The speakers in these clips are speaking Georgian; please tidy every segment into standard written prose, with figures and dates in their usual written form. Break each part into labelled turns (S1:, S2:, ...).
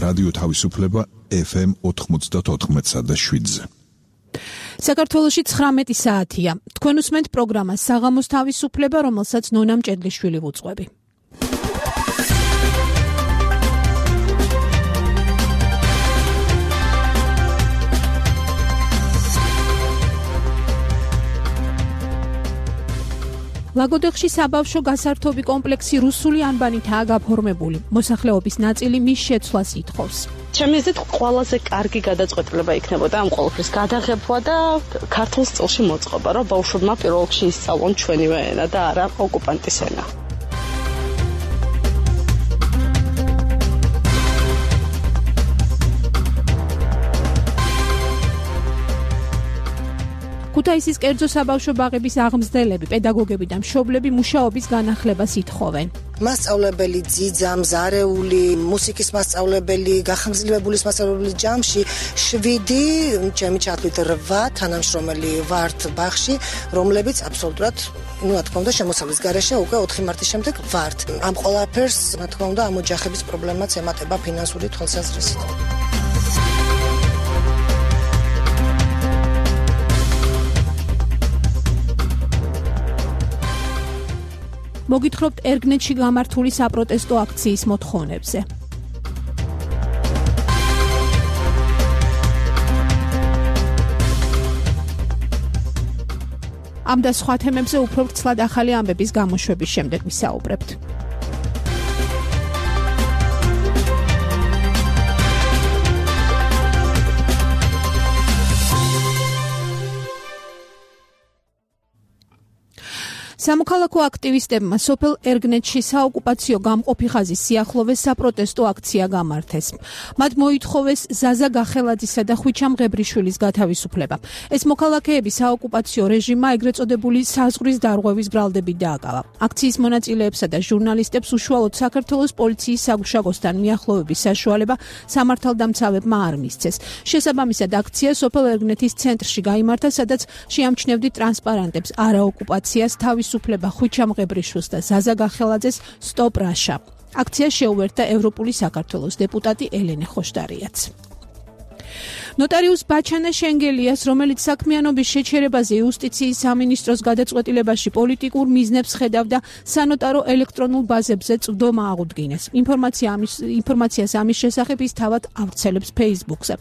S1: რადიო თავისუფლება FM 94.7-ზე.
S2: საქართველოში 19 საათია. თქვენ უსმენთ პროგრამას საღამოს თავისუფლება, რომელსაც ნონა მჭედლიშვილი ვუძღვები. ლაგოდეხში საბავშვო გასართობი კომპლექსი რუსული ანბანითაა გაფორმებული. მოსახლეობის ნაწილი მის შეცვლას ითხოვს.
S3: ჩემი აზრით ყველაზე კარგი გადაწყვეტილება იქნებოდა ამ ყველაფრის გადაღება და ქართულ სტილში მოწყობა, რომ ბავშვებმა პირველ რიგში ისწავლონ ჩვენივე ენა და არა ოკუპანტის ენა. ქუთაისის კერძო საბავშვო ბაღების აღმზრდელები, პედაგოგები და მშობლები მუშაობის განახლებას ითხოვენ.
S4: მასწავლებელი ძიძა, მზარეული, მუსიკის მასწავლებელი, გახამძლივებულის მასწავლებელი ჯამში 7, ჩემი ჩათვლით 8 თანამშრომელი ვართ ბაღში, რომლებიც აბსოლუტურად, რა თქმა უნდა, შემოსავლის გარეშე უკვე 4 მარტის შემდეგ ვართ. ამ ყველაფერს, რა თქმა უნდა, ამ ოჯახების პრობლემაც ემატება ფინანსური თვალსაზრისით.
S2: მოგითხრობთ ერგნეთში გამართული საპროტესტო აქციის მოთხოვნებზე. ამ და სხვა თემებზე უფრო ვრცლად ახალი ამბების გამოშვების შემდეგ ვისაუბრებთ. სამოქალაქო აქტივისტებმა სოფელ ერგნეთში საოკუპაციო გამყოფი ხაზის სიახლოვეს საპროტესტო აქცია გამართეს. მათ მოითხოვეს ზაზა გახელაძისა და ხვიჩა მღებრიშვილის გათავისუფლება. ეს მოქალაქეები საოკუპაციო რეჟიმმა ეგრეთ წოდებული საზღვრის დარღვევის ბრალდებით დააკავა. აქციის მონაწილეებსა და ჟურნალისტებს უშუალოდ საქართველოს პოლიციის საგუშაგოსთან მიახლოვების საშუალება სამართალდამცავებმა არ მისცეს. შესაბამისად აქცია სოფელ ერგნეთის ცენტრში გაიმართა, სადაც შეამჩნევდით ტრანსპარანტებს არაოკუპაციას თავისუფლება ხვიჩა მღებრიშვილს და ზაზა გახელაძეს სტოპ რაშა. აქცია შეუერთდა ევროპული საქართველოს დეპუტატი ელენე ხოშტარიაც. ნოტარიუს ბაჩანა შენგელიას, რომელიც საქმიანობის შეჩერებაზე იუსტიციის სამინისტროს გადაწყვეტილებაში პოლიტიკურ მიზნებს ხედავდა, სანოტარო ელექტრონულ ბაზებზე წვდომა აღუდგინეს. ინფორმაციას ამის შესახებ ის თავად ავრცელებს Facebook-ზე.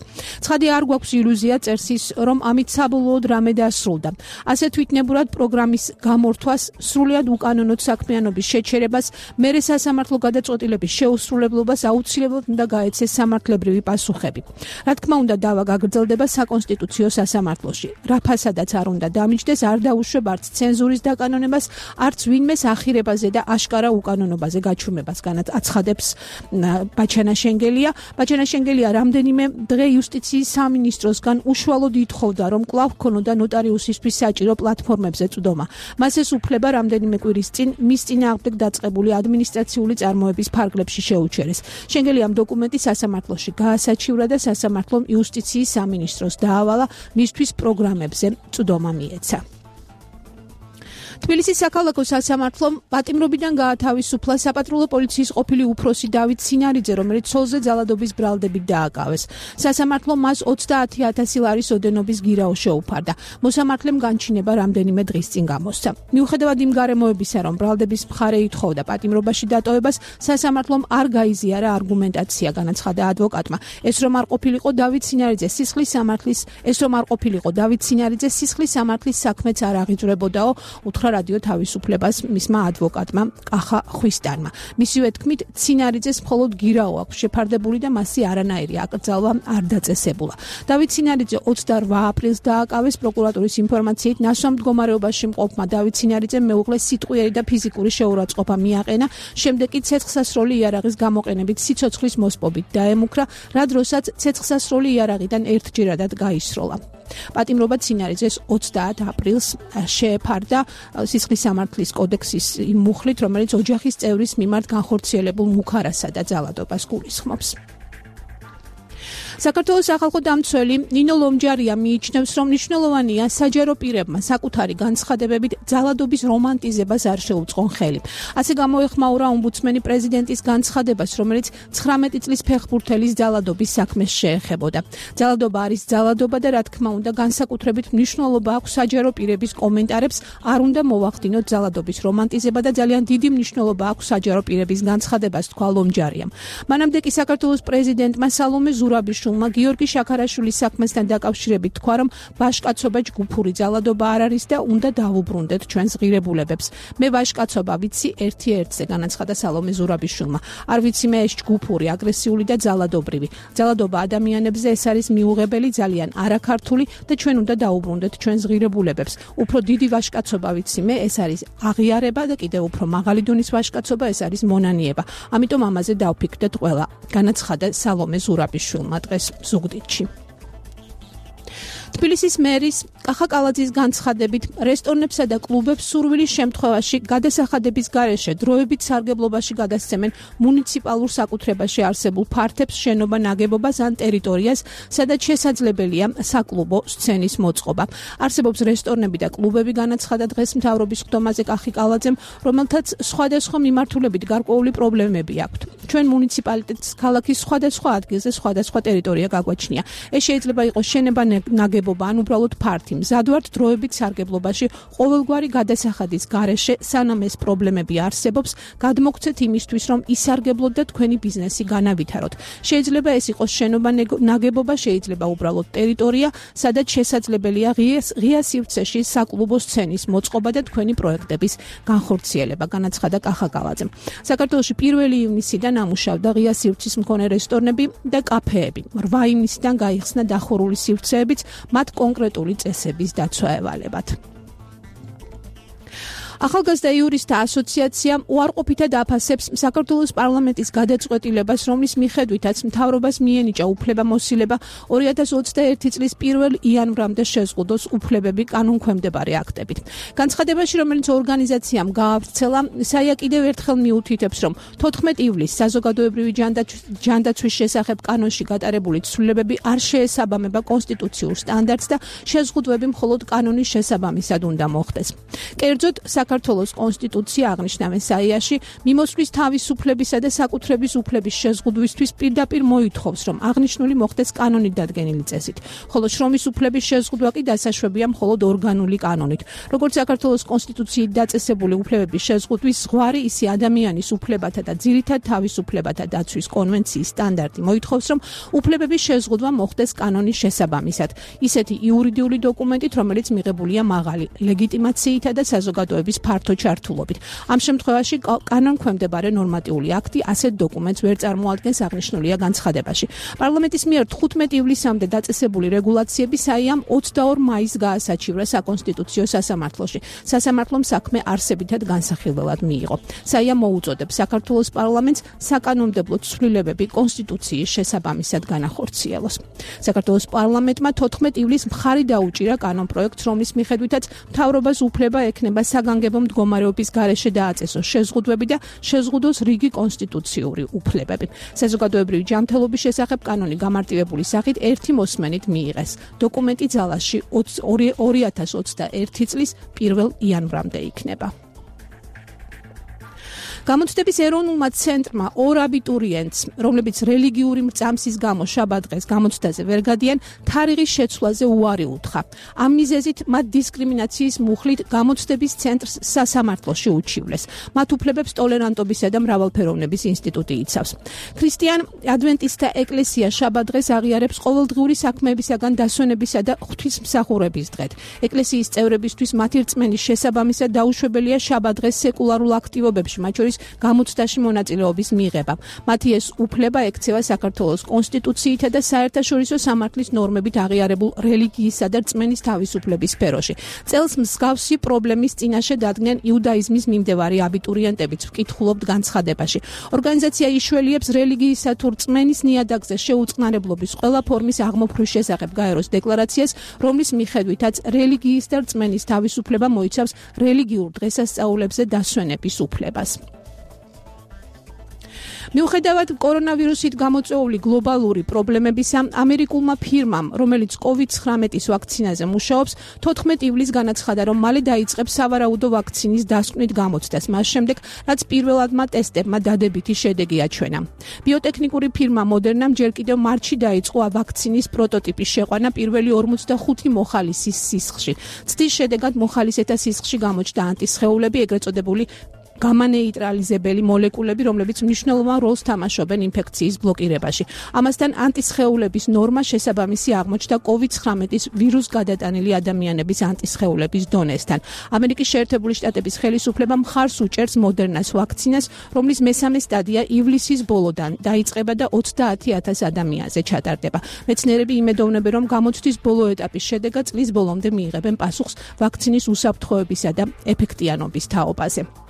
S2: ცხადი არ გვაქვს ილუზია, წერს ის, რომ ამით საბოლოოდ რამე დასრულდა. ასე თვითნებურად პროგრამის გამორთვას, სრულიად უკანონოდ საქმიანობის შეჩერებას, მერე სასამართლო გადაწყვეტილების შეუსრულებლობას აუცილებლად უნდა გაეცეს სამართლებრივი პასუხები. რა თქმა უნდა, დავა გაგრძელდება საკონსტიტუციო სასამართლოში. რაფასადაც არ უნდა დამიჯდეს, არ დაუშვებ არც ცენზურის დაკანონებას, არც ვინმეს ახირებაზე და აშკარა უკანონობაზე გაჩვენებას აცხადებს ბაჩანა შენგელია. ბაჩანა შენგელია რამდენიმე დღე იუსტიციის სამინისტროსგან უშუალოდ ითხოვდა, რომ კვლავ ქონოდა ნოტარიუსისთვის საჭირო პლატფორმებზე წვდომა. მას ეს უფლება რამდენიმე კვირის წინ მის წინააღმდეგ დაწყებული ადმინისტრაციული წარმოების ფარგლებში შეუჩერეს. შენგელიამ დოკუმენტი სასამართლოში გაასაჩივრა და სასამართლომ იუსტიციის სამინისტროს დაავალა მისთვის პროგრამებზე წვდომა მიეცა. თბილისის საქალაქო სასამართლომ პატიმრობიდან გაათავისუფლა საპატრულო პოლიციის ყოფილი უფროსი დავით სინარიძე, რომელიც ცოლზე ძალადობის ბრალდებით დააკავეს. სასამართლომ მას 30,000 ლარის ოდენობის გირაო შეუფარდა. მოსამართლემ განჩინება რამდენიმე დღის წინ გამოსცა. მიუხედავად იმ გარემოებისა, რომ ბრალდების მხარე ითხოვდა პატიმრობაში დატოვებას, სასამართლომ არ გაიზიარა არგუმენტაცია, განაცხადა ადვოკატმა. ეს რომ არ ყოფილიყო დავით სინარიძე სისხლის სამართლის საქმეც არ აღიძვრებოდაო, უთხრა რადიო თავისუფლებას მისმა ადვოკატმა კახა ხვისტანმა. მისივე თქმით, სინარიძეს მხოლოდ გირაო აქვს შეფარდებული და მასზე არანაირი აკრძალვა არ დაწესებულა. დავით სინარიძე 28 აპრილს დააკავეს. პროკურატურის ინფორმაციით, ნასვამ მდგომარეობაში მყოფმა დავით სინარიძემ მეუღლეს სიტყვიერი და ფიზიკური შეურაცხყოფა მიაყენა, შემდეგ კი ცეცხლსასროლი იარაღის გამოყენებით სიცოცხლის მოსპობით დაემუქრა, რა დროსაც ცეცხლსასროლი იარაღიდან ერთჯერადად გაისროლა. პატიმრობა სინარიძეს 30 აპრილს შეეფარდა სისხლის სამართლის კოდექსის იმ მუხლით, რომელიც ოჯახის წევრის მიმართ განხორციელებულ მუქარასა და ძალადობას გულისხმობს. საქართველოს სახალხო დამცველი ნინო ლომჯარია მიიჩნევს, რომ მნიშვნელოვანია საჯარო პირებმა საკუთარი განცხადებებით ძალადობის რომანტიზებას არ შეუწყონ ხელი. ასე გამოეხმაურა ომბუდსმენი პრეზიდენტის განცხადებას, რომელიც 19 წლის ფეხბურთელის ძალადობის საქმეს შეეხებოდა. ძალადობა არის ძალადობა და რა თქმა უნდა განსაკუთრებით მნიშვნელობა აქვს საჯარო პირების კომენტარებს, არ უნდა მოვახდინოთ ძალადობის რომანტიზება და ძალიან დიდი მნიშვნელობა აქვს საჯარო პირების განცხადებას, თქვა ლომჯარიამ. მანამდე კი საქართველოს პრეზიდენტმა სალომე ზურაბიშვილმა გიორგი შაქარაშვილის საქმესთან დაკავშირებით თქვა, რომ ვაჟკაცობა ჯგუფური ძალადობა არ არის და უნდა დავუბრუნდეთ ჩვენს ღირებულებებს. მე ვაჟკაცობა ვიცი ერთ-ერთზე, განაცხადა სალომე ზურაბიშვილმა. არ ვიცი მე ეს ჯგუფური, აგრესიული და ძალადობრივი. ძალადობა ადამიანებზე ეს არის მიუღებელი, ძალიან არაქართული და ჩვენ უნდა დავუბრუნდეთ ჩვენს ღირებულებებს. უფრო დიდი ვაჟკაცობა ვიცი მე, ეს არის აღიარება და კიდევ უფრო მაღალი დონის ვაჟკაცობა ეს არის მონანიება. ამიტომ ამაზე დავფიქრდეთ ყველა, განაცხადა სალომე ზურაბიშვილმა დღეს ზუგდიდში. თბილისის მერის კახა კალაძის განცხადებით, რესტორნებსა და კლუბებს სურვილის შემთხვევაში გადასახადების გარეშე დროებით სარგებლობაში გადასცემენ მუნიციპალურ საკუთრებაში არსებულ ფართებს, შენობა, ნაგებობას ან ტერიტორიას, სადაც შესაძლებელია საკლუბო სცენის მოწყობა. არსებობს რესტორნები და კლუბები, განაცხადა დღეს მთავრობის ხდომაზე კახი კალაძემ, რომელთაც სხვადასხვა მიმართულებით გარკვეული პრობლემები აქვთ. ჩვენ მუნიციპალიტეტს ქალაქის სხვადასხვა ადგილზე სხვადასხვა ტერიტორია გაგვაჩნია. ეს შეიძლება იყოს შენება, ნაგებობა ან უბრალოდ ფართი. მზად ვართ დროებით სარგებლობაში ყოველგვარი გადასახადის გარეშე, სანამ ეს პრობლემები არსებობს, გადმოგცეთ იმისთვის, რომ ისარგებლოთ და თქვენი ბიზნესი განავითაროთ. შეიძლება ეს იყოს შენობა, ნაგებობა, შეიძლება უბრალოდ ტერიტორია, სადაც შესაძლებელია ღია სივრცეში საკლუბო სცენის მოწყობა და თქვენი პროექტების განხორციელება, განაცხადა კახა კალაძემ. საქართველოში 1 ივნისიდან ამუშავდა ღია სივრცის მქონე რესტორნები და კაფეები. 8 ივნისიდან გაიხსნა დახურული სივრცეებიც, მათ კონკრეტული წესების დაცვა ევალებათ. ახალგაზრდა იურისტთა ასოციაცია უარყოფითად აფასებს საქართველოს პარლამენტის გადაწყვეტილებას, რომლის მიხედვითაც მთავრობას მიენიჭა უფლებამოსილება 2021 წლის 1 იანვრამდე შეზღუდოს უფლებები კანონქვემდებარე აქტებით. განცხადებაში, რომელიც ორგანიზაციამ გაავრცელა, საია კიდევ ერთხელ მიუთითებს, რომ 14 ივლისს საზოგადოებრივი ჯანდაცვის შესახებ კანონში გატარებული ცვლილებები არ შეესაბამება კონსტიტუციურ სტანდარტს და შეზღუდვები მხოლოდ კანონის შესაბამისად უნდა მოხდეს. კერძოდ, საქართველოს კონსტიტუცია აღნიშნავენ საიაში მიმოსვლის თავისუფლებისა და საკუთრების უფლების შეზღუდვისთვის პირდაპირ მოითხოვს, რომ აღნიშნული მოხდეს კანონით დადგენილი წესით, ხოლო შრომის უფლების შეზღუდვა კი დასაშვებია მხოლოდ ორგანული კანონით. როგორც საქართველოს კონსტიტუციით დაწესებული უფლებების შეზღუდვის ზღვარი, ისე ადამიანის უფლებათა და ძირითად თავისუფლებათა დაცვის კონვენციის სტანდარტი მოითხოვს, რომ უფლებების შეზღუდვა მოხდეს კანონის შესაბამისად, ისეთი იურიდიული დოკუმენტით, რომელიც მიღებულია მაღალი ლეგიტიმაციითა და საზოგადოების ფართო ჩართულობით. ამ შემთხვევაში კანონქვემდებარე ნორმატიული აქტი ასეთ დოკუმენტს ვერ წარმოადგენს, აღნიშნულია განცხადებაში. პარლამენტის მიერ 15 ივლისამდე დაწესებული რეგულაციები საიამ 22 მაისს გაასაჩივრა საკონსტიტუციო სასამართლოში. სასამართლომ საქმე არსებითად განსახილველად მიიღო. საიამ მოუწოდებს საქართველოს პარლამენტს საკანონმდებლო ცვლილებები კონსტიტუციის შესაბამისად განახორციელოს. საქართველოს პარლამენტმა 14 ივლისს მხარი დაუჭირა კანონპროექტს, რომლის მიხედვითაც მთავრობას უფლება ექნება საგანგებო მდგომარეობის გარეშე დააწესოს შეზღუდვები და შეზღუდოს რიგი კონსტიტუციური უფლებები. საზოგადოებრივი ჯანმრთელობის შესახებ კანონი გამარტივებული სახით ერთი მოსმენით მიიღეს. დოკუმენტი ძალაში 2021 წლის 1 იანვრამდე იქნება. გამოცდების ეროვნულმა ცენტრმა 2 აბიტურიენტს, რომლებიც რელიგიური მრწამსის გამო შაბათ-დღეს გამოცდაზე ვერ გადიან, თარიღის შეცვლაზე უარი უთხრა. ამ მიზეზით მათ დისკრიმინაციის მუხლით გამოცდების ცენტრს სასამართლოში უჩივლეს. მათ უფლებებს ტოლერანტობისა და მრავალფეროვნების ინსტიტუტი იცავს. ქრისტიან ადვენტისტთა ეკლესია შაბათ-დღეს აღიარებს ყოველდღიური საქმეებისაგან დასვენებისა და ღვთისმსახურების დღედ. ეკლესიის წევრებისთვის მათი რწმენის შესაბამისად დაუშვებელია შაბათ-დღეს სეკულარულ აქტივობებში, მათ შორის გამოცდაში მონაწილეობის მიღება. მათი ეს უფლება ექცევა საქართველოს კონსტიტუციითა და საერთაშორისო სამართლის ნორმებით აღიარებულ რელიგიისა და რწმენის თავისუფლების სფეროში. წელს მსგავსი პრობლემის წინაშე დადგნენ იუდაიზმის მიმდევარი აბიტურიენტებიც, ვკითხულობთ განცხადებაში. ორგანიზაცია იშველიებს რელიგიისა თუ რწმენის ნიადაგზე შეუწყნარებლობის ყველა ფორმის აღმოფხვის შესახებ გაეროს დეკლარაციას, რომლის მიხედვითაც რელიგიის და რწმენის თავისუფლება მოიცავს რელიგიურ დღესასწაულებზე დასვენების უფლებას. მიუხედავად კორონავირუსით გამოწვეული გლობალური პრობლემებისა, ამერიკულმა ფირმამ, რომელიც COVID-19-ის ვაქცინაზე მუშაობს, 14 ივლისს განაცხადა, რომ მალე დაიწყებს სავარაუდო ვაქცინის დასკვნით გამოცდას, მას შემდეგ, რაც პირველადმა ტესტებმა დადებითი შედეგი აჩვენა. ბიოტექნიკური ფირმა Moderna ჯერ კიდევ მარტში დაიწყო ვაქცინის პროტოტიპის შეყვანა პირველი 45 მოხალისის სისხლში. ცდის შედეგად მოხალისეთა სისხლში გამოჩნდა ანტისხეულები, ეგრეთ წოდებული გამანეიტრალიზებელი მოლეკულები, რომლებიც მნიშვნელოვან როლს თამაშობენ ინფექციის ბლოკირებაში. ამასთან ანტისხეულების ნორმა შესაბამისი აღმოჩნდა COVID-19-ის ვირუსგადატანილი ადამიანების ანტისხეულების დონესთან. ამერიკის შეერთებული შტატების ხელისუფლება მხარს უჭერს Moderna-ს ვაქცინას, რომლის მესამე სტადია ივლისის ბოლოდან დაიწყება და 30,000 ადამიანზე ჩატარდება. მეცნიერები იმედოვნებენ, რომ გამოცდის ბოლო ეტაპის შედეგად წლის ბოლომდე მიიღებენ პასუხს ვაქცინის უსაფრთხოებისა და ეფექტიანობის თაობაზე.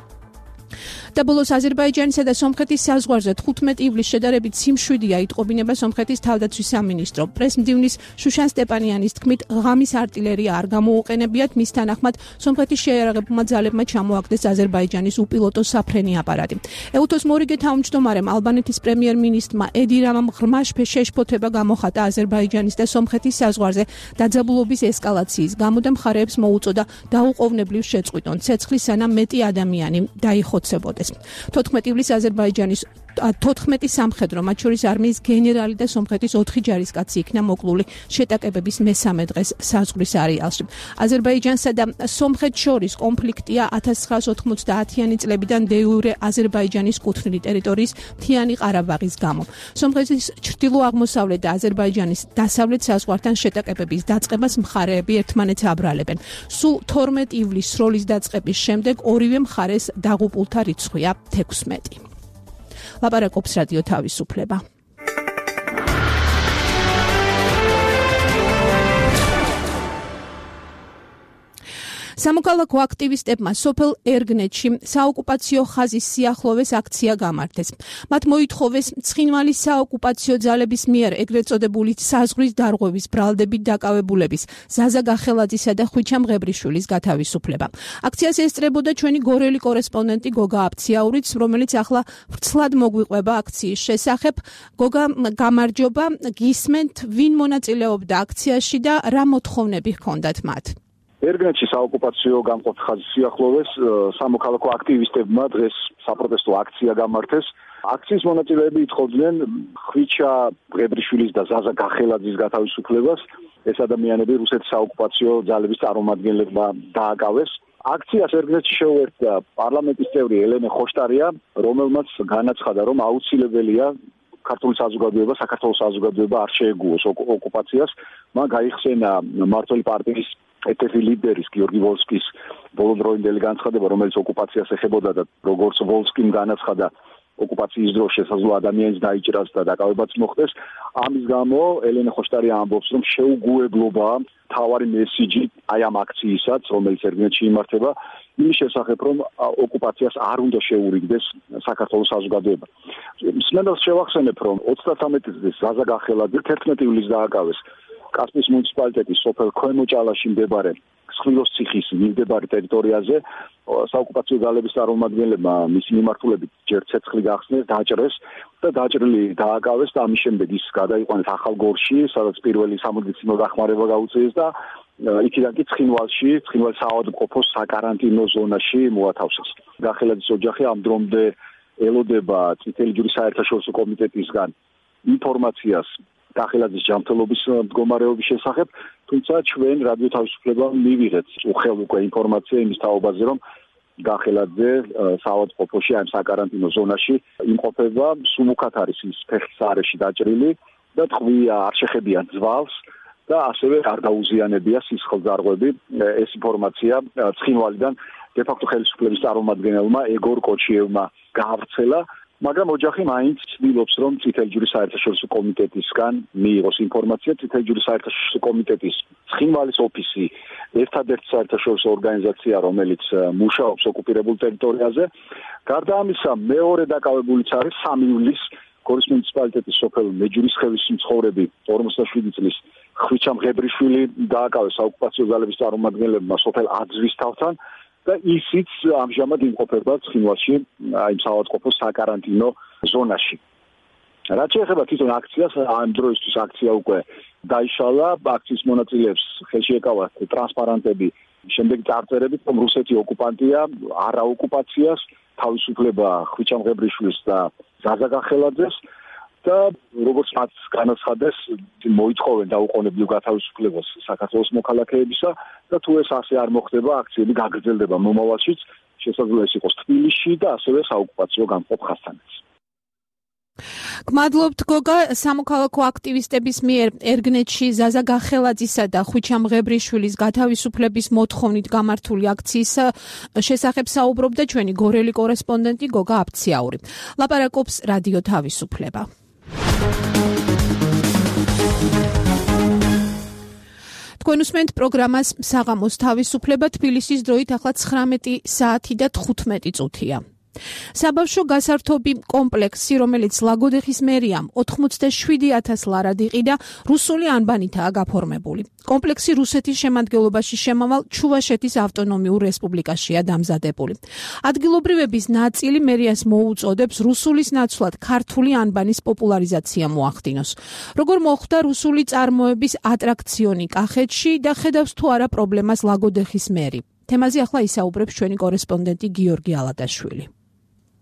S2: და ბოლოს აზერბაიჯანისა და სომხეთის საზღვარზე 15 ივლისს შედარებით სიმშვიდეა იტყობინება სომხეთის თავდაცვის სამინისტრო. პრესმდივნის შუშან სტეპანიანის თქმით, ღამის არტილერია არ გამოუყენებიათ, მის თანახმად სომხეთის შეიარაღებულმა ძალებმა ჩამოაგდეს აზერბაიჯანის უპილოტო საფრენი აპარატი. ეუთოს მორიგე თავმჯდომარემ ალბანეთის პრემიერ-მინისტრმა ედი რამამ ღრმა შეშფოთება გამოხატა აზერბაიჯანის და სომხეთის საზღვარზე დაძაბულობის ესკალაციის გამო და მხარეებს მოუწოდა დაუყოვნებლივ შეწყვიტონ ცეცხლი, სანამ მეტი ადამიანი დაიხოცებოდეს. 14 ივლისს აზერბაიჯანის 14 სამხედრო, მათ შორის არმიის გენერალი და სომხეთის 4 ჯარისკაცი იქნა მოკლული შეტაკებების მესამე დღეს საზღვრის არეალში. აზერბაიჯანსა და სომხეთს შორის კონფლიქტია 1990-იანი წლებიდან დე-იურე აზერბაიჯანის კუთვნილი ტერიტორიის მთიანი ყარაბაღის გამო. სომხეთის ჩრდილო-აღმოსავლეთ და აზერბაიჯანის დასავლეთ საზღვართან შეტაკებების დაწყებას მხარეები ერთმანეთს აბრალებენ. სულ 12 ივლისს სროლის დაწყების შემდეგ ორივე მხარეს დაღუპულთა რიცხვია 16. ლაპარაკობს რადიო თავისუფლება. სამოქალაქო აქტივისტებმა სოფელ ერგნეთში საოკუპაციო ხაზის სიახლოვეს აქცია გამართეს. მათ მოითხოვეს ცხინვალის საოკუპაციო ძალების მიერ ეგრეთ წოდებული საზღვრის დარღვევის ბრალდებით დაკავებულების ზაზა გახელაძისა და ხვიჩა მღებრიშვილის გათავისუფლება. აქციას ესწრებოდა ჩვენი გორელი კორესპონდენტი გოგა აფციაურიც, რომელიც ახლა ვრცლად მოგვიყვება აქციის შესახებ. გოგა, გამარჯობა, გისმენთ, ვინ მონაწილეობდა აქციაში და რა მოთხოვნები ჰქონდათ მათ?
S5: ერგნეთში საოკუპაციო გამყოფ ხაზის სიახლოვეს სამოქალაქო აქტივისტებმა დღეს საპროტესტო აქცია გამართეს. აქციის მონაწილეები ითხოვდნენ ხვიჩა მღებრიშვილის და ზაზა გახელაძის გათავისუფლებას. ეს ადამიანები რუსეთის საოკუპაციო ძალების წარმომადგენლებმა დააკავეს. აქციას ერგნეთში შეუერთდა პარლამენტის წევრი ელენე ხოშტარია, რომელმაც განაცხადა, რომ აუცილებელია ქართული საზოგადოება, საქართველოს საზოგადოება არ შეეგუოს ოკუპაციას. მან გაიხსენა მმართველი პარტიის ერთ-ერთი ლიდერის გიორგი ვოლსკის ბოლოდროინდელი განცხადება, რომელიც ოკუპაციას ეხებოდა და როგორც ვოლსკიმ განაცხადა, ოკუპაციის დროს შესაძლოა ადამიანის დაიჭრას და დაკავებაც მოხდეს. ამის გამო ელენე ხოშტარია ამბობს, რომ შეუგუებლობა თავარი მესიჯი აი ამ აქცияსაც, რომელიც ერგნეთში იმართება, იმის შესახებ, რომ ოკუპაციას არ უნდა შეურიგდეს საქართველოს საზოგადოება. მსმენელს შევახსენებ, რომ 33 წლის ზაზა გახელაძე 11 ივლისს დააკავეს კასპიის მუნიციპალიტეტის სოფელ ქვემოჭალაში მდებარე სხვილოს ციხის მიმდებარე ტერიტორიაზე. საოკუპაციო ძალების წარმომადგენლებმა მისი მიმართულებით ჯერ ცეცხლი გახსნეს, დაჭრეს და დაჭრილი დააკავეს და ამის შემდეგ ის გადაიყვანეს ახალგორში, სადაც პირველი სამედიცინო დახმარება გაუწიეს და იქიდან კი ცხინვალში, ცხინვალის საავადმყოფოს საკარანტინო ზონაში მოათავსეს. გახელაძის ოჯახი ამ დრომდე ელოდება წითელი ჯვრის საერთაშორისო კომიტეტისგან ინფორმაციას გახელაძის ჯანმრთელობის მდგომარეობის შესახებ, თუმცა ჩვენ რადიო თავისუფლებამ მივიღეთ უხელ უკვე ინფორმაცია იმის თაობაზე, რომ გახელაძე საავადმყოფოში, ამ საკარანტინო ზონაში იმყოფება, სულუქად არის ის ფეხის არეში დაჭრილი და ტყვია არ შეხებიან ძვალს და ასევე არ დაუზიანებია სისხლძარღვები. ეს ინფორმაცია ცხინვალიდან დე-ფაქტო ხელისუფლების წარმომადგენელმა ეგორ კოჩიევმა გაავრცელა, მაგრამ ოჯახი მაინც ცდილობს, რომ წითელი ჯვრის საერთაშორისო კომიტეტისგან მიიღოს ინფორმაცია. წითელი ჯვრის საერთაშორისო კომიტეტის ცხინვალის ოფისი ერთადერთი საერთაშორისო ორგანიზაცია, რომელიც მუშაობს ოკუპირებულ ტერიტორიაზე. გარდა ამისა, მეორე დაკავებულიც არის 3 ივლისს გორის მუნიციპალიტეტის სოფელ მეჯურისხევის მცხოვრები 47 წლის ხვიჩა მღებრიშვილი დააკავეს საოკუპაციო ძალების წარმომადგენლებმა სოფელ აძვისთავთან და ისიც ამჟამად იმყოფება ცხინვალში, აი საავადმყოფოს საკარანტინო ზონაში. რაც შეეხება თვითონ აქციას, ამ დროისთვის აქცია უკვე დაიშალა, აქციის მონაწილეებს ხელში ეკავათ ტრანსპარანტები, შემდეგ წარწერებით, რომ რუსეთი ოკუპანტია, არა ოკუპაციას, თავისუფლება ხვიჩამღებრიშვილის და ზაზა გახელაძეს და როგორც მათ განაცხადეს, მოითხოვენ დაუყოვნებლივ გათავისუფლებას საქართველოს მოქალაქეებისა და თუ ეს ასე არ მოხდება, აქციები გაგრძელდება მომავალშიც, შესაძლოა ეს იყოს თბილისში და ასევე საოკუპაციო გამყოფ ხასთანეთში.
S2: გმადლობთ გოგა, სამოქალაქო აქტივისტების მიერ ერგნეთში ზაზა გახელაძისა და ხვიჩამღებრიშვილის გათავისუფლების მოთხოვნით გამართული აქციის შესახებ საუბრობდა ჩვენი გორელი კორესპონდენტი გოგა აფციაური. ლაპარაკობს რადიო თავისუფლება. თქვენ უსმენთ პროგრამას საღამოს თავისუფლება, თბილისის დროით ახლა 19 საათი და 15 წუთია. საბავშვო გასართობი კომპლექსი, რომელიც ლაგოდეხის მერიამ 87,000 ლარად იყიდა, რუსული ანბანითაა გაფორმებული. კომპლექსი რუსეთის შემადგენლობაში შემავალ ჩუვაშეთის ავტონომიურ რესპუბლიკაშია დამზადებული. ადგილობრივების ნაწილი მერიას მოუწოდებს რუსულის ნაცვლად ქართული ანბანის პოპულარიზაცია მოახდინოს. როგორ მოხდა რუსული წარმოების ატრაქციონი კახეთში და ხედავს თუ არა პრობლემას ლაგოდეხის მერი? თემაზე ახლა ისაუბრებს ჩვენი კორესპონდენტი გიორგი ალადაშვილი.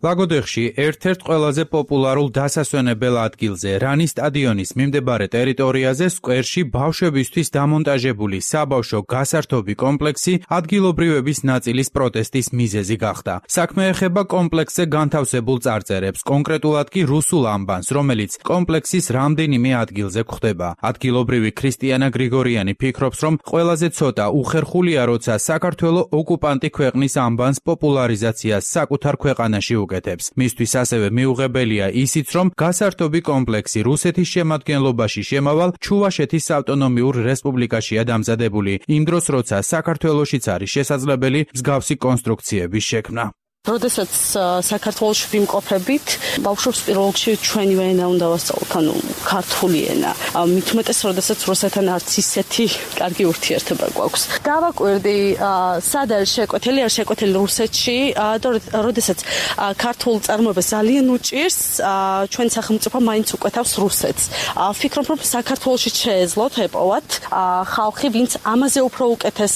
S6: ლაგოდეხში ერთ-ერთ ყველაზე პოპულარულ დასასვენებელ ადგილზე, რანის სტადიონის მიმდებარე ტერიტორიაზე, სკვერში ბავშვებისთვის დამონტაჟებული საბავშვო გასართობი კომპლექსი ადგილობრივების ნაწილის პროტესტის მიზეზი გახდა. საქმე ეხება კომპლექსზე განთავსებულ წარწერებს, კონკრეტულად კი რუსულ ანბანს, რომელიც კომპლექსის რამდენიმე ადგილზე გვხვდება. ადგილობრივი ქრისტიანა გრიგორიანი ფიქრობს, რომ ყველაზე ცოტა უხერხულია, როცა საქართველო ოკუპანტი ქვეყნის ანბანს პოპულარიზაციას საკუთარ ქვეყანაში მისთვის ასევე მიუღებელია ისიც, რომ გასართობი კომპლექსი რუსეთის შემადგენლობაში შემავალ ჩუვაშეთის ავტონომიურ რესპუბლიკაშია დამზადებული, იმ დროს როცა საქართველოშიც არის შესაძლებელი მსგავსი კონსტრუქციების შექმნა.
S3: როდესაც საქართველოში ვიმყოფებით, ბავშვებს პირველ რიგში ჩვენივე ენა უნდა ვასწავლოთ, ანუ ქართული ენა. მით უმეტეს, როდესაც რუსეთთან არც ისეთი კარგი ურთიერთობა გვაქვს. დავაკვირდი, სად არის შეკვეთილი, არის შეკვეთილი რუსეთში, და როდესაც ქართულ წარმოებას ძალიან უჭირს, ჩვენ სახელმწიფო მაინც უკვეთავს რუსეთს. ვფიქრობ, რომ საქართველოში შეეძლოთ ეპოვათ ხალხი, ვინც ამაზე უფრო უკეთეს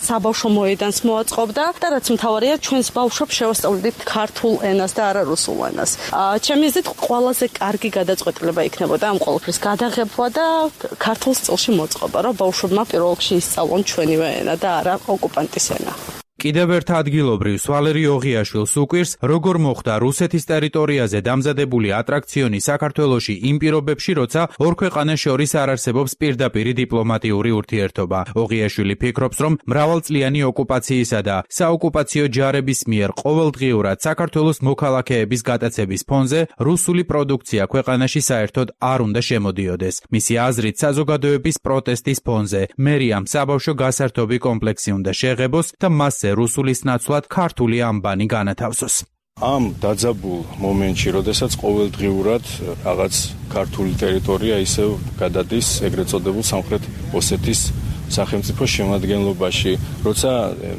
S3: საბავშვო მოედანს მოაწყობდა და რაც მთავარია, ჩვენს ბავშვებს შევასწავლდით ქართულ ენას და არა რუსულ ენას. ჩემი აზრით, ყველაზე კარგი გადაწყვეტილება იქნებოდა ამ ყველაფრის გადაღება და ქართულ სტილში მოწყობა, რომ ბავშვებმა პირველ რიგში ისწავლონ ჩვენივე ენა და არა ოკუპანტის ენა.
S6: კიდევ ერთ ადგილობრივს ვალერი ოღიაშვილს უკვირს, როგორ მოხდა რუსეთის ტერიტორიაზე დამზადებული ატრაქციონი საქართველოში იმ პირობებში, როცა ორ ქვეყანას შორის არ არსებობს პირდაპირი დიპლომატიური ურთიერთობა. ოღიაშვილი ფიქრობს, რომ მრავალწლიანი ოკუპაციისა და საოკუპაციო ჯარების მიერ ყოველდღიურად საქართველოს მოქალაქეების გატაცების ფონზე რუსული პროდუქცია ქვეყანაში საერთოდ არ უნდა შემოდიოდეს. მისი აზრით, საზოგადოების პროტესტის ფონზე მერიამ საბავშვო გასართობი კომპლექსი უნდა შეღებოს და მასზე რუსულის ნაცვლად ქართული ანბანი განათავსოს.
S7: ამ დაძაბულ მომენტში, როდესაც ყოველდღიურად რაღაც ქართული ტერიტორია ისევ გადადის ეგრეთ წოდებულ სამხრეთ ოსეთის სახელმწიფოს შემადგენლობაში, როცა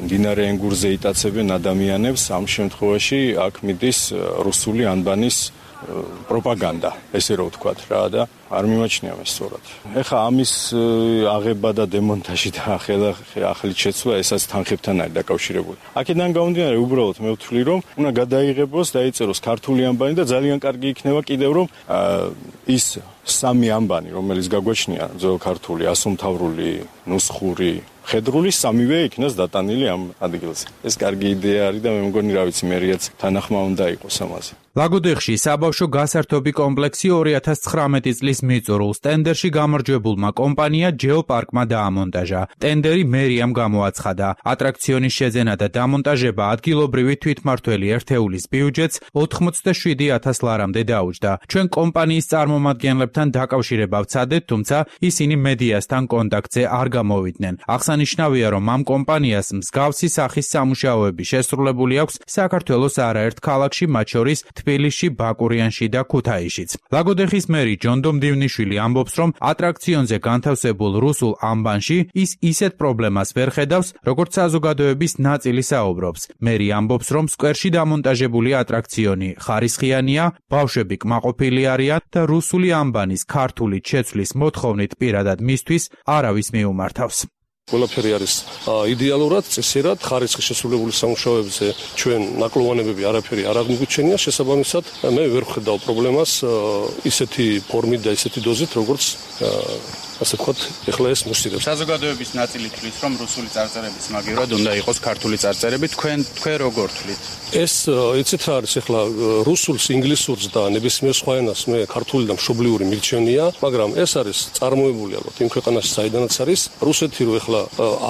S7: მდინარე ენგურზე იტაცებენ ადამიანებს, ამ შემთხვევაში აქ მიდის რუსული ანბანის პროპაგანდა, ესე რომ ვთქვათ რა და არ მიმაჩნია მე სწორად. ეხა ამის აღება და დემონტაჟი და ახალი შეცვლა ესაც თანხებთან არის დაკავშირებული. აქედან გამომდინარე, უბრალოდ მე ვთვლი, რომ უნდა გადაიღებოს, დაიწეროს ქართული ანბანი და ძალიან კარგი იქნება კიდევ რომ ის სამი ანბანი, რომელიც გაგვაჩნია ძველ ქართული, ასომთავრული, ნუსხური, ხედრული სამივე იქნას დატანილი ამ ადგილზე. ეს კარგი იდეა არის და მე მგონი რა ვიცი მერიაც თანახმა უნდა იყოს ამაზე.
S6: ლაგოდეხში საბავშვო გასართობი კომპლექსი 2019 წლის მიწურულს ტენდერში გამარჯვებულმა კომპანია ჯეოპარკმა დაამონტაჟა. ტენდერი მერიამ გამოაცხადა. ატრაქციონის შეძენა და დამონტაჟება ადგილობრივი თვითმმართველი ერთეულის ბიუჯეტს 87,000 ლარამდე დაუჯდა. ჩვენ კომპანიის წარმომადგენლებთან დაკავშირება ვცადეთ, თუმცა ისინი მედიასთან კონტაქტზე არ გამოვიდნენ. აღსანიშნავია, რომ ამ კომპანიას მსგავსი სახის სამუშაოები შესრულებული აქვს საქართველოს არაერთ ქალაქში, მათ შორის თბილისში, ბაკურიანში და ქუთაისშიც. ლაგოდეხის მერი ჯონდო მდივნიშვილი ამბობს, რომ ატრაქციონზე განთავსებულ რუსულ ამბანში ის ისეთ პრობლემას ვერ ხედავს, როგორც საზოგადოების ნაწილი საუბრობს. მერი ამბობს, რომ სკვერში დამონტაჟებული ატრაქციონი ხარისხიანია, ბავშვები კმაყოფილი არიან და რუსული ამბანის ქართულით შეცვლის მოთხოვნით პირადად მისთვის არავის მიუმართავს.
S8: ყველაფერი არის იდეალურად, წესერად, ხარისხის შესრულებული სამუშაოებზე ჩვენ ნაკლოვანებები არაფერი არ აღმოგვიჩენია, შესაბამისად მე ვერ ვხედავ პრობლემას ისეთი ფორმით და ისეთი დოზით, როგორც ასე ვთქვათ, ეხლა ეს მოსწირებს.
S6: საზოგადოების ნაწილი თვლის, რომ რუსული წარწერების მაგივრად უნდა იყოს ქართული წარწერები, თქვენ როგორ თვლით?
S8: ეს იცით რა არის, ეხლა რუსულს, ინგლისურს და ნებისმიერ სხვა ენას მე ქართული და მშობლიური მირჩენია, მაგრამ ეს არის წარმოებული ალბათ იმ ქვეყანაში, საიდანაც არის რუსეთი, რომ ეხლა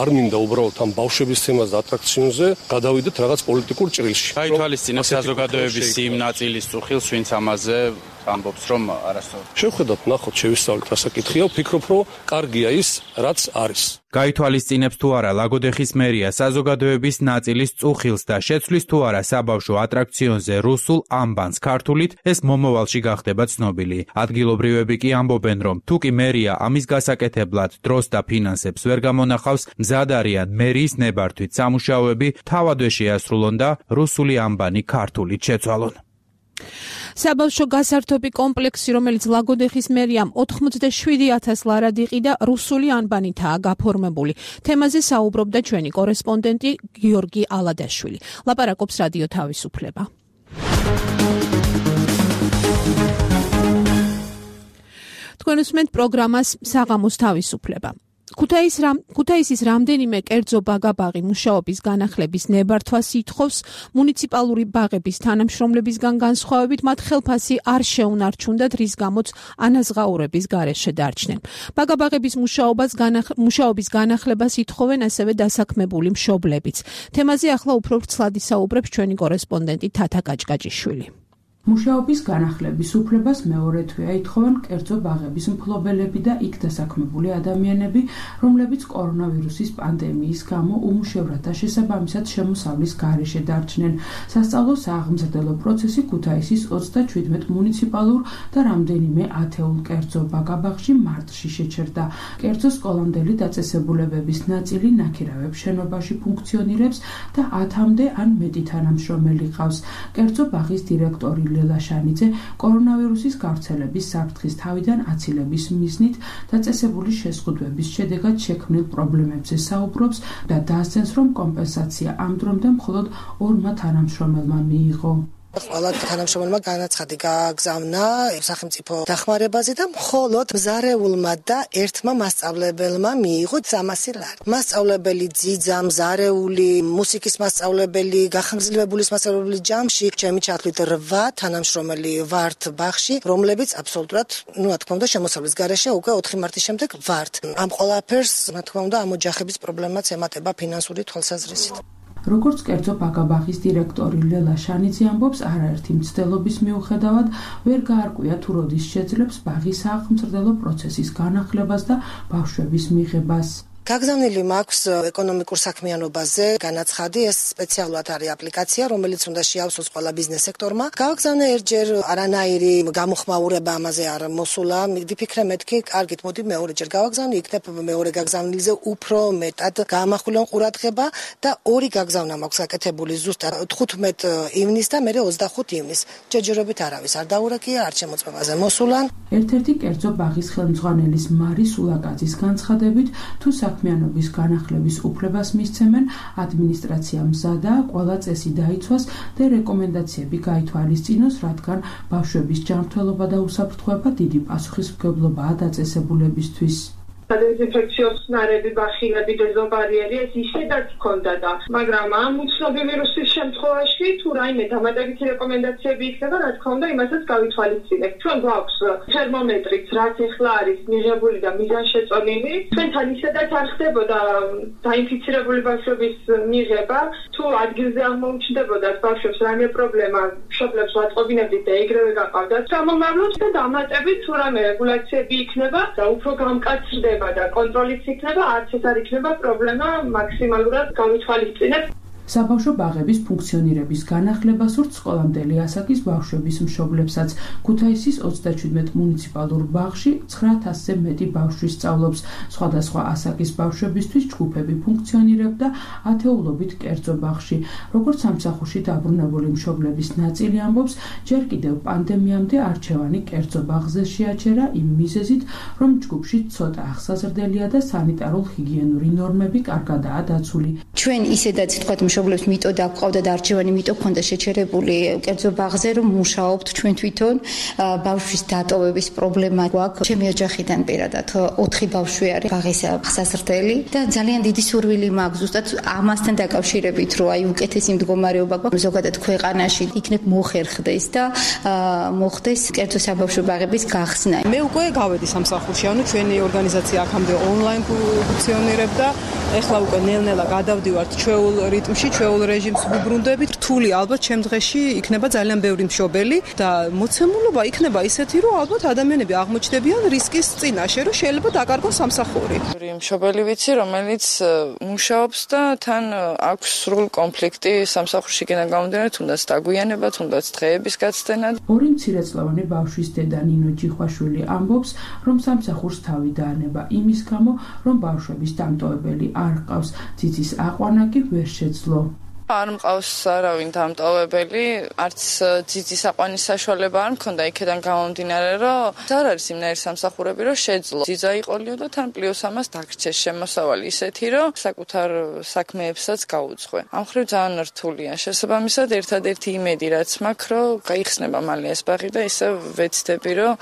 S8: არ მინდა უბრალოდ ამ ბავშვების თემას და ატრაქციონზე გადავიდეთ რაღაც პოლიტიკურ ჭრილში.
S6: გაითვალისწინებს საზოგადოების იმ ნაწილის წუხილს, ვინც ამაზე ამბობს, რომ არასწორად.
S8: შევხედოთ, ნახოთ, შევისწავლეთ რა საკითხია, ვფიქრობ, რომ კარგია ის, რაც არის.
S6: გაითვალისწინებს თუ არა ლაგოდეხის მერია საზოგადოების ნაწილის წუხილს და შეცვლის თუ არა საბავშვო ატრაქციონზე რუსულ ამბანს ქართულით, ეს მომავალში გახდება ცნობილი. ადგილობრივები კი ამბობენ, რომ თუ კი მერია ამის გასაკეთებლად დროს და ფინანსებს ვერ გამონახავს, მზად არიან მერიის ნებართვით სამუშაოები თავადვე შეასრულონ და რუსული ამბანი ქართულით შეცვალონ.
S2: საბავშვო გასართობი კომპლექსი, რომელიც ლაგოდეხის მერიამ 87,000 ლარად იყიდა, რუსული ანბანითაა გაფორმებული. თემაზე საუბრობდა ჩვენი კორესპონდენტი გიორგი ალადაშვილი. ლაპარაკობს რადიო თავისუფლება. თქვენ უსმენთ პროგრამას საღამოს თავისუფლება. ქუთაისის რამდენიმე კერძო ბაგა-ბაღი მუშაობის განახლების ნებართვას ითხოვს მუნიციპალური ბაღების თანამშრომლებისგან განსხვავებით მათ ხელფასი არ შეუნარჩუნდათ, რის გამოც ანაზღაურების გარეშე დარჩნენ. ბაგა-ბაღების მუშაობის განახლებას ითხოვენ ასევე დასაქმებული მშობლებიც. თემაზე ახლა უფრო ვრცლად ისაუბრებს ჩვენი კორესპონდენტი თათა კაჭკაჭიშვილი.
S9: მუშაობის განახლების უფლებას მეორე თვეა ითხოვენ კერძო ბაღების მფლობელები და იქ დასაქმებული ადამიანები, რომლებიც კორონავირუსის პანდემიის გამო უმუშევრად და შესაბამისად შემოსავლის გარეშე დარჩნენ. სასწავლო სააღმზრდელო პროცესი ქუთაისის 37 მუნიციპალურ და რამდენიმე ათეულ კერძო ბაგა-ბაღში მარტში შეჩერდა. კერძო სკოლამდელი დაწესებულებების ნაწილი ნაქირავებ შენობაში ფუნქციონირებს და 10-მდე ან მეტი თანამშრომელი ყავს. კერძო ბაღის დირექტორი ლელა შანიძე კორონავირუსის გავრცელების საფრთხის თავიდან აცილების მიზნით დაწესებული შეზღუდვების შედეგად შექმნილ პრობლემებზე საუბრობს და დაასცენს, რომ კომპენსაცია ამ დრომდე მხოლოდ 2 თანამშრომელმა მიიღო.
S4: ყველა თანამშრომელმა განაცხადი გააგზავნა სახელმწიფო დახმარებაზე და მხოლოდ მზარეულმა და ერთმა მასწავლებელმა მიიღო 300 ლარი. მასწავლებელი ძიძა, მზარეული, მუსიკის მასწავლებელი, გახანგრძლივებულის მასწავლებელი ჯამში, ჩემი ჩათვლით 8 თანამშრომელი ვართ ბაღში, რომლებიც აბსოლუტურად, რა თქმა უნდა, შემოსავლის გარეშე უკვე 4 მარტის შემდეგ ვართ. ამ ყველაფერს, რა თქმა უნდა, ამ ოჯახების პრობლემაც ემატება ფინანსური თვალსაზრისით.
S9: როგორც კერძო ბაგა-ბაღის დირექტორი ლელა შანიძე ამბობს, არაერთი მცდელობის მიუხედავად ვერ გაარკვია თუ როდის შეძლებს ბაღის სააღმზრდელო პროცესის განახლებას და ბავშვების მიღებას.
S4: გაგზავნილი მაქვს ეკონომიკურ საქმიანობაზე განაცხადი, ეს სპეციალურად არის აპლიკაცია, რომელიც უნდა შეავსოს ყველა ბიზნეს სექტორმა. გავაგზავნე ერთჯერ, არანაირი გამოხმაურება ამაზე არ მოსულა. მივიფიქრე მეთქი, კარგით, მოდი მეორეჯერ გავაგზავნე, იქნებ მეორე გაგზავნილზე უფრო მეტად გაამახვილონ ყურადღება და 2 გაგზავნა მაქვს გაკეთებული ზუსტად 15 ივნის და მე 25 ივნის. ჯერჯერობით არავის არ დაურეკია, არ შემოწმებაზე მოსულან.
S9: ერთ-ერთი კერძო ბაღის ხელმძღვანელის მარი სულაკაძის განცხადებით, თუ საქმიანობის განახლების უფლებას მისცემენ, ადმინისტრაცია მზადაა ყველა წესი დაიცვას და რეკომენდაციები გაითვალისწინოს, რადგან ბავშვების ჯანმრთელობა და უსაფრთხოება დიდი პასუხისმგებლობაა დაწესებულებისთვის.
S10: დეზინფექციო ხსნარები, ბახილები, დეზობარიერი ეს ისედაც ჰქონდა და მაგრამ ამ უცნობი ვირუსის შემთხვევაში თუ რაიმე დამატებითი რეკომენდაციები იქნება, რა თქმა უნდა, იმასაც გავითვალისწინებთ. ჩვენ გვაქვს თერმომეტრიც, რაც ახლა არის მიღებული და მიზანშეწონილი. ჩვენთან ისედაც არ ხდებოდა დაინფიცირებული ბავშვების მიღება. თუ ადგილზე აღმოუჩნდებოდათ ბავშვებს რაიმე პრობლემა, მშობლებს ვაწყობინებდით და ეგრევე გაყავდათ. გამომავლოთ და დამატებით თუ რაიმე რეგულაციები იქნება და უფრო გამკაცრდება იქნება და კონტროლიც იქნება, არც ეს არ იქნება პრობლემა მაქსიმალურად გავითვალისწინებ.
S9: საბავშვო ბაღების ფუნქციონირების განახლება სურთ სკოლამდელი ასაკის ბავშვების მშობლებსაც. ქუთაისის 37 მუნიციპალურ ბაღში 9000-ზე მეტი ბავშვი სწავლობს. სხვადასხვა ასაკის ბავშვებისთვის ჯგუფები ფუნქციონირებდა ათეულობით კერძო ბაღში. როგორც სამსახურში დაბრუნებული მშობლების ნაწილი ამბობს, ჯერ კიდევ პანდემიამდე არჩევანი კერძო ბაღზე შეაჩერა იმ მიზეზით, რომ ჯგუფში ცოტა ახსაზრდელია და სანიტარულ-ჰიგიენური ნორმები კარგადაა დაცული.
S11: ჩვენ ისედაც თქვათ მშობლებს მიტოდა გვყავდა და არჩევანი მიტო ქონდა შეჩერებული კერძო ბაღზე რომ მუშაობთ ჩვენ თვითონ ბავშვის დატოვების პრობლემა გვაქვს. ჩემი ოჯახიდან პირადად 4 ბავშვი არის ბაღის ახსაზრდელი და ძალიან დიდი სურვილი მაქვს ზუსტად ამასთან დაკავშირებით რომ აი უკეთესი მდგომარეობა გვაქვს ზოგადად ქვეყანაში იქნებ მოხერხდეს და მოხდეს კერძო საბავშვო ბაღების გახსნა.
S12: მე უკვე გავედი სამსახურში, ანუ ჩვენი ორგანიზაცია აქამდე ონლაინ ფუნქციონირებდა. ეხლა უკვე ნელ-ნელა გადავდივართ ჩვეულ რიტმში, ჩვეულ რეჟიმს ვუბრუნდებით. რთული ალბათ ჩემ დღეში იქნება ძალიან ბევრი მშობელი და მოცემულობა იქნება ისეთი, რომ ალბათ ადამიანები აღმოჩნდებიან რისკის წინაშე, რომ შეიძლება დაკარგონ სამსახური.
S13: მშობელი ვიცი, რომელიც მუშაობს და თან აქვს სრულ კონფლიქტი სამსახურშიგან გამომდინარე, თუნდაც დაგვიანება, თუნდაც დღეების გაცდენა.
S9: ორი მცირეწლოვანი ბავშვის დედა ნინო ჯიხვაშვილი ამბობს, რომ სამსახურს თავი დაანება იმის გამო, რომ ბავშვების დამტოვებელი არ ჰყავს. ციცის აყვანა კი ვერ შეძლო.
S13: არ მყავს არავინ დამტოვებელი, არც ძიძის აყვანის საშუალება არ მქონდა იქიდან გამომდინარე, რომ არ არის იმნაირი სამსახურები, რომ შეძლო. ძიძა იყოლიო და თან პლუს ამას დაგრჩეს შემოსავალი ისეთი, რომ საკუთარ საქმეებსაც გაუძღვე. ამ მხრივ ძალიან რთულია. შესაბამისად, ერთადერთი იმედი რაც მაქვს, რომ გაიხსნება მალე ეს ბაღი და ისე ვეცდები, რომ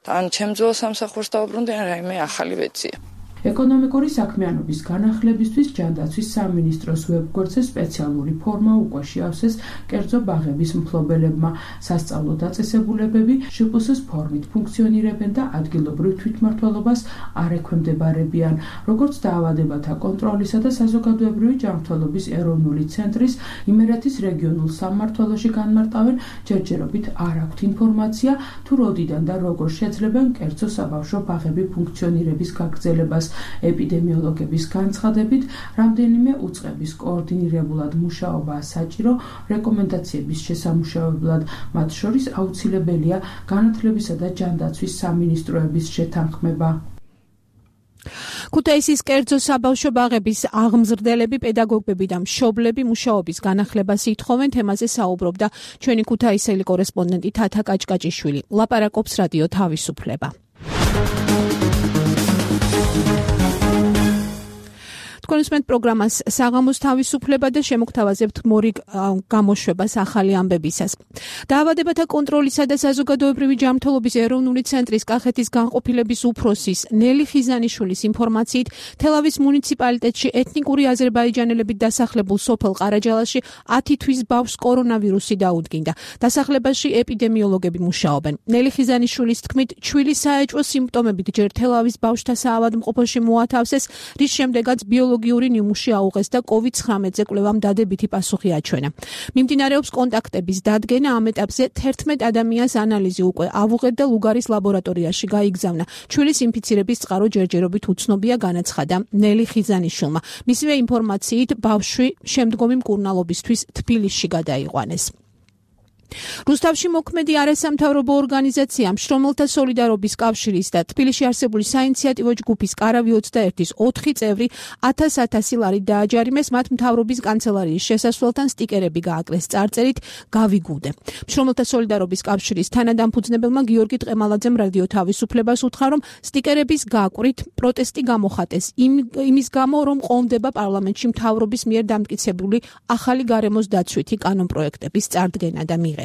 S13: ან ჩემ ძველ სამსახურს დავუბრუნდი, ან რაიმე ახალი ვეძია.
S9: ეკონომიკური საქმიანობის განახლებისთვის ჯანდაცვის სამინისტროს ვებგვერდზე სპეციალური ფორმა უკვე შეავსეს კერძო ბაღების მფლობელებმა. სასწავლო დაწესებულებები შპს ფორმით ფუნქციონირებენ და ადგილობრივ თვითმმართველობას არ ექვემდებარებიან. როგორც დაავადებათა კონტროლისა და საზოგადოებრივი ჯანმრთელობის ეროვნული ცენტრის იმერეთის რეგიონულ სამმართველოში განმარტავენ, ჯერჯერობით არ აქვთ ინფორმაცია, თუ როდიდან და როგორ შეძლებენ კერძო საბავშვო ბაღები ფუნქციონირების გაგრძელებას. ეპიდემიოლოგების განცხადებით, რამდენიმე უწყების კოორდინირებულად მუშაობაა საჭირო რეკომენდაციების შესამუშავებლად, მათ შორის აუცილებელია განათლებისა და ჯანდაცვის სამინისტროების შეთანხმება.
S2: ქუთაისის კერძო საბავშვო ბაღების აღმზრდელები, პედაგოგები და მშობლები მუშაობის განახლებას ითხოვენ. თემაზე საუბრობდა ჩვენი ქუთაისელი კორესპონდენტი თათა კაჭკაჭიშვილი. ლაპარაკობს რადიო თავისუფლება. თქვენ უსმენთ პროგრამას საღამოს თავისუფლება და შემოგთავაზებთ მორიგ გამოშვებას ახალი ამბებისას. დაავადებათა კონტროლისა და საზოგადოებრივი ჯანმრთელობის ეროვნული ცენტრის კახეთის განყოფილების უფროსის ნელი ხიზანიშვილის ინფორმაციით, თელავის მუნიციპალიტეტში ეთნიკური აზერბაიჯანელებით დასახლებულ სოფელ ყარაჯალაში 10 თვის ბავშვს კორონავირუსი დაუდგინდა. დასახლებაში ეპიდემიოლოგები მუშაობენ. ნელი ხიზანიშვილის თქმით, ჩვილი საეჭვო სიმპტომებით ჯერ თელავის ბავშვთა საავადმყოფოში მოათავსეს, რის შემდეგაც ბიოლოგიური ნიმუში აუღეს და COVID-19-ზე კვლევამ დადებითი პასუხი აჩვენა. მიმდინარეობს კონტაქტების დადგენა, ამ ეტაპზე 11 ადამიანს ანალიზი უკვე ავუღეთ და ლუგარის ლაბორატორიაში გაიგზავნა. ჩვილის ინფიცირების წყარო ჯერჯერობით უცნობია, განაცხადა ნელი ხიზანიშვილმა. მისივე ინფორმაციით, ბავშვი შემდგომი მკურნალობისთვის თბილისში გადაიყვანეს. რუსთავში მოქმედი არასამთავრობო ორგანიზაცია მშრომელთა სოლიდარობის კავშირის და თბილისში არსებული საინიციატივო ჯგუფის კარავი 21-ის 4 წევრი 1000 ლარით დააჯარიმეს, მათ მთავრობის კანცელარიის შესასვლელთან სტიკერები გააკლეს წარწერით გავიგუდე. მშრომელთა სოლიდარობის კავშირის თანადამფუძნებელმა გიორგი ტყემალაძემ რადიო თავისუფლებას უთხრა, რომ სტიკერების გაკვრით პროტესტი გამოხატეს იმის გამო, რომ ყოლმდება პარლამენტში მთავრობის მიერ დამტკიცებული ახალი გარემოს დაცვითი კანონპროექტების წარდგენა და მიღება.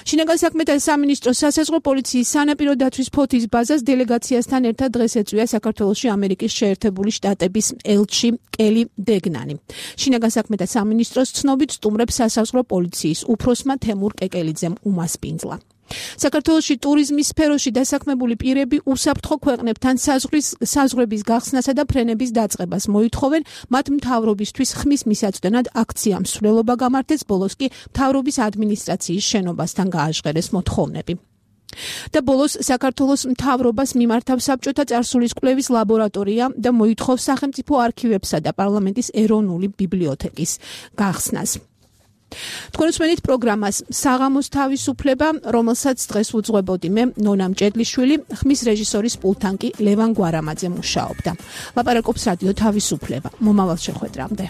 S2: შინაგან საქმეთა სამინისტროს სასაზღვრო პოლიციის სანაპირო დაცვის ფოთის ბაზას დელეგაციასთან ერთად დღეს ეწვია საქართველოში ამერიკის შეერთებული შტატების ელჩი კელი დეგნანი. შინაგან საქმეთა სამინისტროს ცნობით სტუმრებს სასაზღვრო პოლიციის უფროსმა თემურ კეკელიძემ უმასპინძლა. საქართველოში ტურიზმის სფეროში დასაქმებული პირები უსაფრთხო ქვეყნებთან საზღვრების გახსნასა და ფრენების დაწყებას მოითხოვენ, მათ მთავრობისთვის ხმის მისაწვდენად აქცია მსვლელობა გამართეს, ბოლოს კი მთავრობის ადმინისტრაციის შენობასთან გააჟღერეს მოთხოვნები. და ბოლოს საქართველოს მთავრობას მიმართავს საბჭოთა წარსულის კვლევის ლაბორატორია და მოითხოვს სახელმწიფო არქივებსა და პარლამენტის ეროვნული ბიბლიოთეკის გახსნას. თქვენ უსმენთ პროგრამას საღამოს თავისუფლება, რომელსაც დღეს უძღვებოდი მე, ნონა მჭედლიშვილი, ხმის რეჟისორის პულტთან კი ლევან გვარამაძე მუშაობდა. ლაპარაკობს რადიო თავისუფლება. მომავალ შეხვედრამდე.